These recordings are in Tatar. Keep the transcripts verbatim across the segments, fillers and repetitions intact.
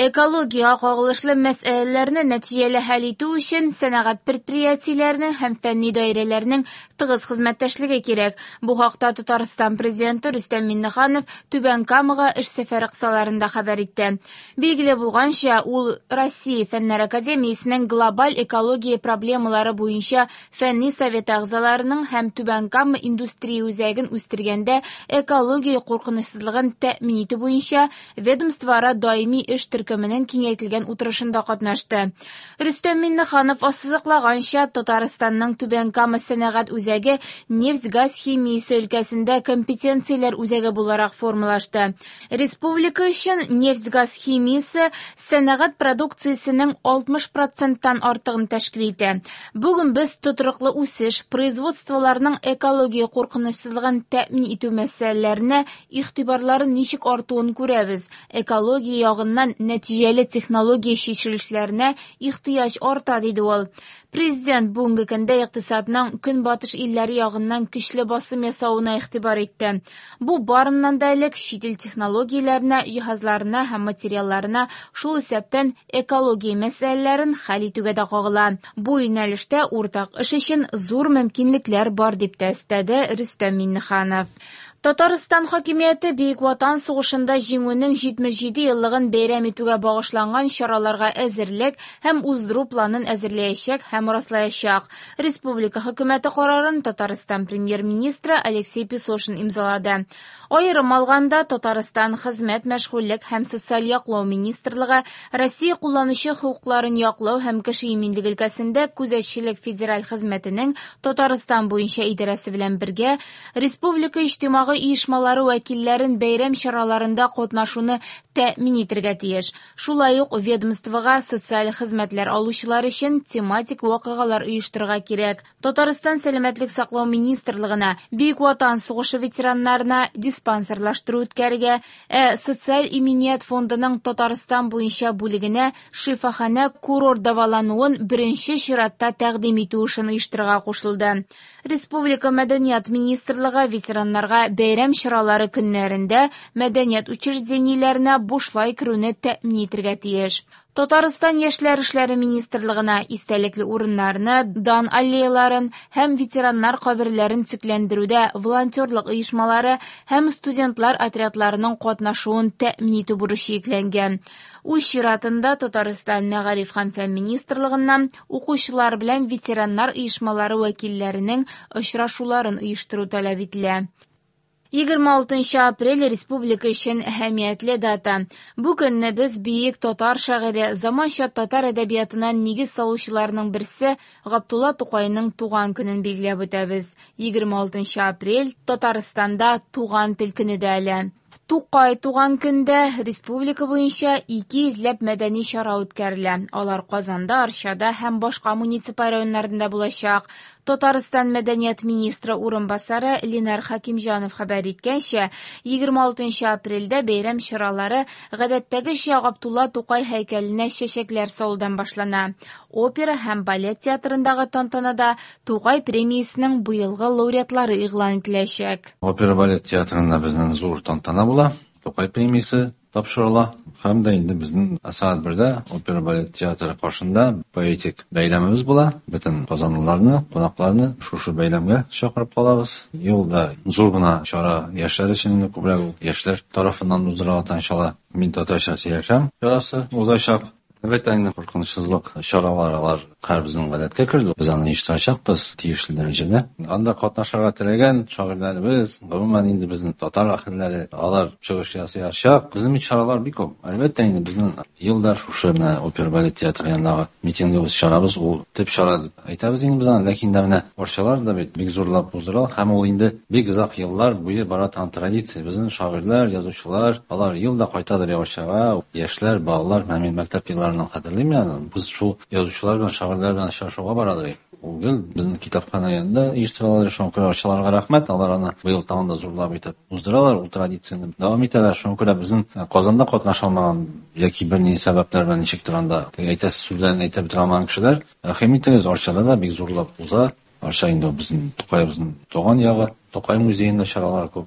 Экологиягә кагылышлы мәсьәләләрне нәтиҗәле хәл итү өчен сәнәгать предприятиеләренең һәм фәнни даирәләрнең тыгыз хезмәттәшлеге кирәк. Бу хакта Татарстан Президенты Рөстәм Миңнеханов Түбән Камага эш сәфәре кысаларында хәбәр итте. Билгеле булганча, ул Россия Фәннәр академиясенең глобаль экология проблемалары буенча фәнни советы әгъзаларының һәм Түбән Кама индустрия үзәген үстергәндә экология куркынычсызлыгын тәэмин итү буенча ведомствоара даими эш төркеменең киңәйтелгән утырышында катнашты. Рөстәм Миңнеханов ассызыклаганча, Татарстанның Түбән Кама сәнәгать үзәге нефть-газ химиясе өлкәсендә компетенцияләр үзәге буларак формалашты. Республика өчен нефть-газ химиясе сәнәгать продукциясенең алтмыш проценттан артыгын тәшкил итә. Бүген без тотрыклы үсеш, производстволарның экология куркынычсызлыгын тәэмин итү мәсьәләләренә игътибарларын ничек артуын күрәбез. Экология ягыннан нәтиҗәле технология чишелешләренә ихтыяҗ арта, диде ул. Президент бүгенге көндә икътисадның көнбатыш илләре ягыннан көчле басым ясавына игътибар итте. Бу барыннан да элек чит ил технологияләренә, җиһазларына һәм материалларына, шул исәптән экология мәсьәләләрен хәл итүгә дә кагыла. Бу юнәлештә уртак эш өчен зур мөмкинлекләр бар, дип тә өстәде Рөстәм Миңнеханов. Татарстан хакимияте Бөек Ватан сугышында җиңүнең җитмеш җиде еллыгын бәйрәм итүгә багышланган чараларга әзерлек һәм уздыру планын әзерләячәк һәм раслаячак. Республика хөкүмәте карарын Татарстан премьер-министры Алексей Песошин имзалады. Аерым алганда, Татарстан Хезмәт, мәшгульлек һәм социаль яклау министрлыгы Россия кулланучы хокукларын яклау һәм кеше иминлеге өлкәсендә күзәтчелек федераль хезмәтенең Татарстан буенча идарәсе белән бергә республика иҗтимагый оешмалары вәкилләрен бәйрәм чараларында катнашуны тәэмин итәргә тиеш. Шулай ук ведомствога социаль хезмәтләр алучылар өчен тематик вакыйгалар оештырырга кирәк. Татарстан Сәламәтлек саклау министрлыгына Бөек Ватан сугышы ветераннарына диспансерлаштыру үткәрергә, ә Социаль иминият фондының Татарстан буенча бүлегенә шифаханә курорт дәвалануын беренче чиратта тәкъдим итү эшен оештырырга кушылды. Республика Мәдәният министрлыгы ветераннарга бәйрәм чаралары көннәрендә мәдәният учреждениеләренә бушлай керүне тәэмин итәргә тиеш. Татарстан Яшьләр эшләре министрлыгына истәлекле урыннарны, дан аллеяларын һәм ветераннар каберләрен төзекләндерүдә волонтерлык оешмалары һәм студентлар отрядларының катнашуын тәэмин итү бурычы йөкләнгән. Үз чиратында Татарстан Мәгариф һәм фән министрлыгыннан укучылар белән ветераннар оешмалары вәкилләренең очрашуларын оештыру таләп ителә. Егерме алтынчы апрель республика өчен әһәмиятле дата. Бу көнне без бөек татар шагыйре, заманча татар әдәбиятына нигез салучыларның берсе Габдулла Тукайның туган көнен билгеләп үтәбез. Егерме алтынчы апрель Татарстанда туган тел көне дә әле. Тукай туган көндә республика буенча ике йөзләп мәдәни чара үткәрелә. Алар Казанда, Арчада һәм башка муниципаль районнарында булачак. Татарстан мәдәният министры урынбасары Ленар Хакимҗанов хәбәр иткәнчә, егерме алтынчы апрельдә бәйрәм чаралары гадәттәгечә Габдулла Тукай һәйкәленә чәчәкләр салудан башлана. Опера һәм балет театрындагы тантанада Тукай премиясенең быелгы лауреатлары игълан ителәчәк. Опера балет театрында безнең зур тантана була. Тукай премиясе тапшырыла. Һәм дә инде безнең сәгать бердә опера балет театры каршында поэтик бәйрәмебез була. Бөтен казанлыларны, кунакларны шушы бәйрәмгә чакырып калабыз. Елда зур гына чара яшьләр өчен инде күбрәк ул яшьләр тарафыннан уздырыла торган Мин татарча сөйләшәм чарасы узачак. Әлбәттә, инде куркынычсызлык чаралары алар һәр безнең гадәткә керде. Без аны оештырачакбыз тиешле дәрәҗәдә. Анда катнашырга теләгән шагыйрьләребез, гомумән инде безнең татар әһелләре, алар чыгыш ясаячак. Безнең бит чаралар бик күп. Әлбәттә, инде безнең елда шушы менә опера балет театры янындагы митингыбыз чарабыз, ул төп чара дип әйтәбез инде без аны. Ләкин дә менә Арчалар да бит бик зурлап уздырыла һәм ул инде бик озак еллар буе бара торган традиция. Безнең шагыйрьләр, язучылар, алар елда кайтадыр Арчага, яшьләр, балалар, менә мин мәктәп елларыннан хәтерлим аны. Без шул язучылар белән, шагыйрьләр белән очрашуга барадыр. Ул гел безнең китапхана янында оештыралар. Шуңа күрә Арчаларга рәхмәт. Алар аны быел тагын да зурлап итеп уздыралар, ул традицияне дәвам итәләр. Шуңа күрә безнең Казанда катнаша алмаган яки бер ни сәбәпләр белән ничектер анда әйтәсе сүзләрен әйтеп бетерә алмаган кешеләр, рәхим итегез, Арчада да бик зурлап уза. Арча инде безнең Тукаебызның туган ягы, Тукай музеенда чаралар күп.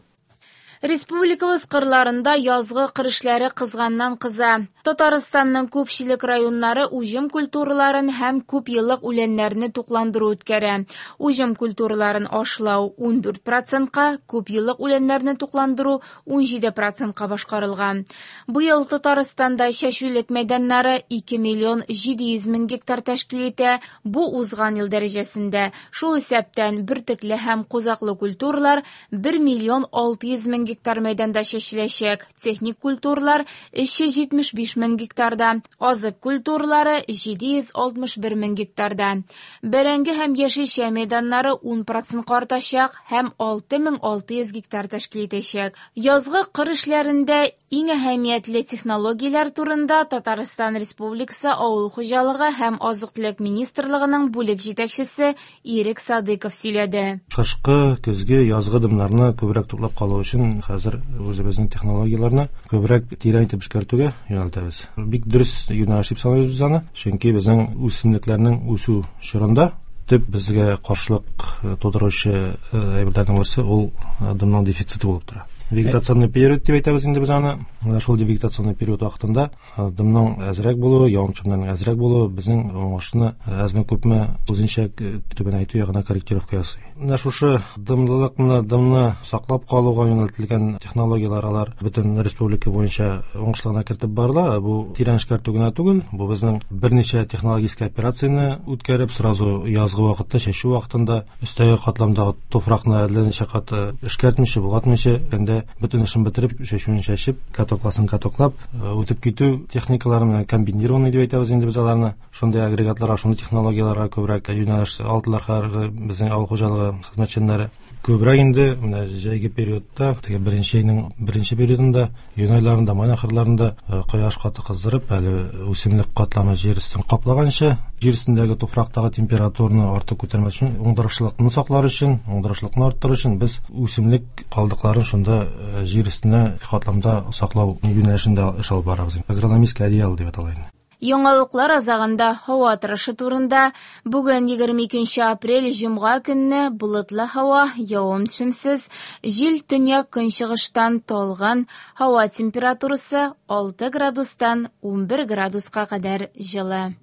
Республикабыз кырларында язгы кыр эшләре кызганнан кыза. Татарстанның күпчелек районнары уҗым культураларын һәм күп еллык үләннәрне тукландыру үткәрә. Уҗым культураларын ашлау ун дүрт процентка, күп еллык үләннәрне тукландыру ун җиде процентка башкарылган. Быел Татарстанда чәчүлек мәйданнары ике миллион җиде йөз мең гектар тәшкил итә. Бу узган ел дәрәҗәсендә. Шул исәптән бөртекле һәм кузаклы культуралар бер миллион алты йөз мең гектар мәйданда чәчеләчәк. Техник культуралар өч йөз җитмеш биш мең гектарда, азык культуралары җиде йөз алтмыш бер мең гектарда. Бәрәңге һәм яшелчә мәйданнары ун процентка артачак һәм алты мең алты йөз гектар тәшкил итәчәк. Язгы кыр эшләрендә иң әһәмиятле технологияләр турында Татарстан Республикасы Авыл хуҗалыгы һәм азык-төлек министрлыгының бүлек җитәкчесе Ирек Садыков сөйләде. Кышкы, көзге, язгы дымнарны күбрәк туплап калу өчен хәзер үзебезнең технологияләрне күбрәк тирән итеп эшкәртүгә юнәлтәбез. Бик дөрес юнәлеш дип саныйбыз без аны, чөнки безнең үсемлекләрнең үсү чорында төп безгә каршылык тудыручы әйберләрнең берсе ул дымның дефициты булып тора. Вегетационный период дип әйтәбез инде без аны. Менә шул вегетационный период вакытында дымның әзрәк булуы, явым-төшемнәрнең әзрәк булуы безнең уңышны әзме-күпме үзенчә түбәнәйтү ягына корректировка ясый. Менә шушы дымлылыкны, дымны саклап калуга юнәлтелгән технологияләр алар бөтен республика буенча уңышлы кертеп барыла. Бу тирән эшкәртү генә түгел, бу безнең берничә технологический операцияне үткәреп, сразу язгы вакытта, чәчү вакытында өстәге катламдагы туфракны әллә ничә кат эшкәртмичә, болгатмыйча, инде бөтен эшен бетереп, чәчүен чәчеп, катокласын катоклап, үтеп китү техникалары менән комбинированный дип әйтәбез инде без аларны. Шундый агрегатларга, шундый технологияләргә күбрәк юнәлеш алдылар хәзерге безнең авыл хуҗалыгы хезмәтчәннәре. Күбрәк инде менә җәйге периодта, теге беренче айның беренче периодында, июнь айларында, май ахырларында кояш каты кыздырып, әле үсемлек катламы җир өстен каплаганчы, җир өстендәге туфрактагы температураны артык күтәрмәс өчен, уңдырышлылыкны саклар өчен, уңдырышлылыкны арттырыр өчен без үсемлек калдыкларын шунда җир өстенә катламда саклау юнәлешендә эш алып барабыз. Агрономический одеяло дип атала инде. Яңалыклар азагында һава торышы турында. Бүген егерме икенче апрель җомга көнне болытлы һава, явым-төшемсез, җил төньяк көнчыгыштан талгын, һава температурасы алты градустан унбер градуска кадәр җылы.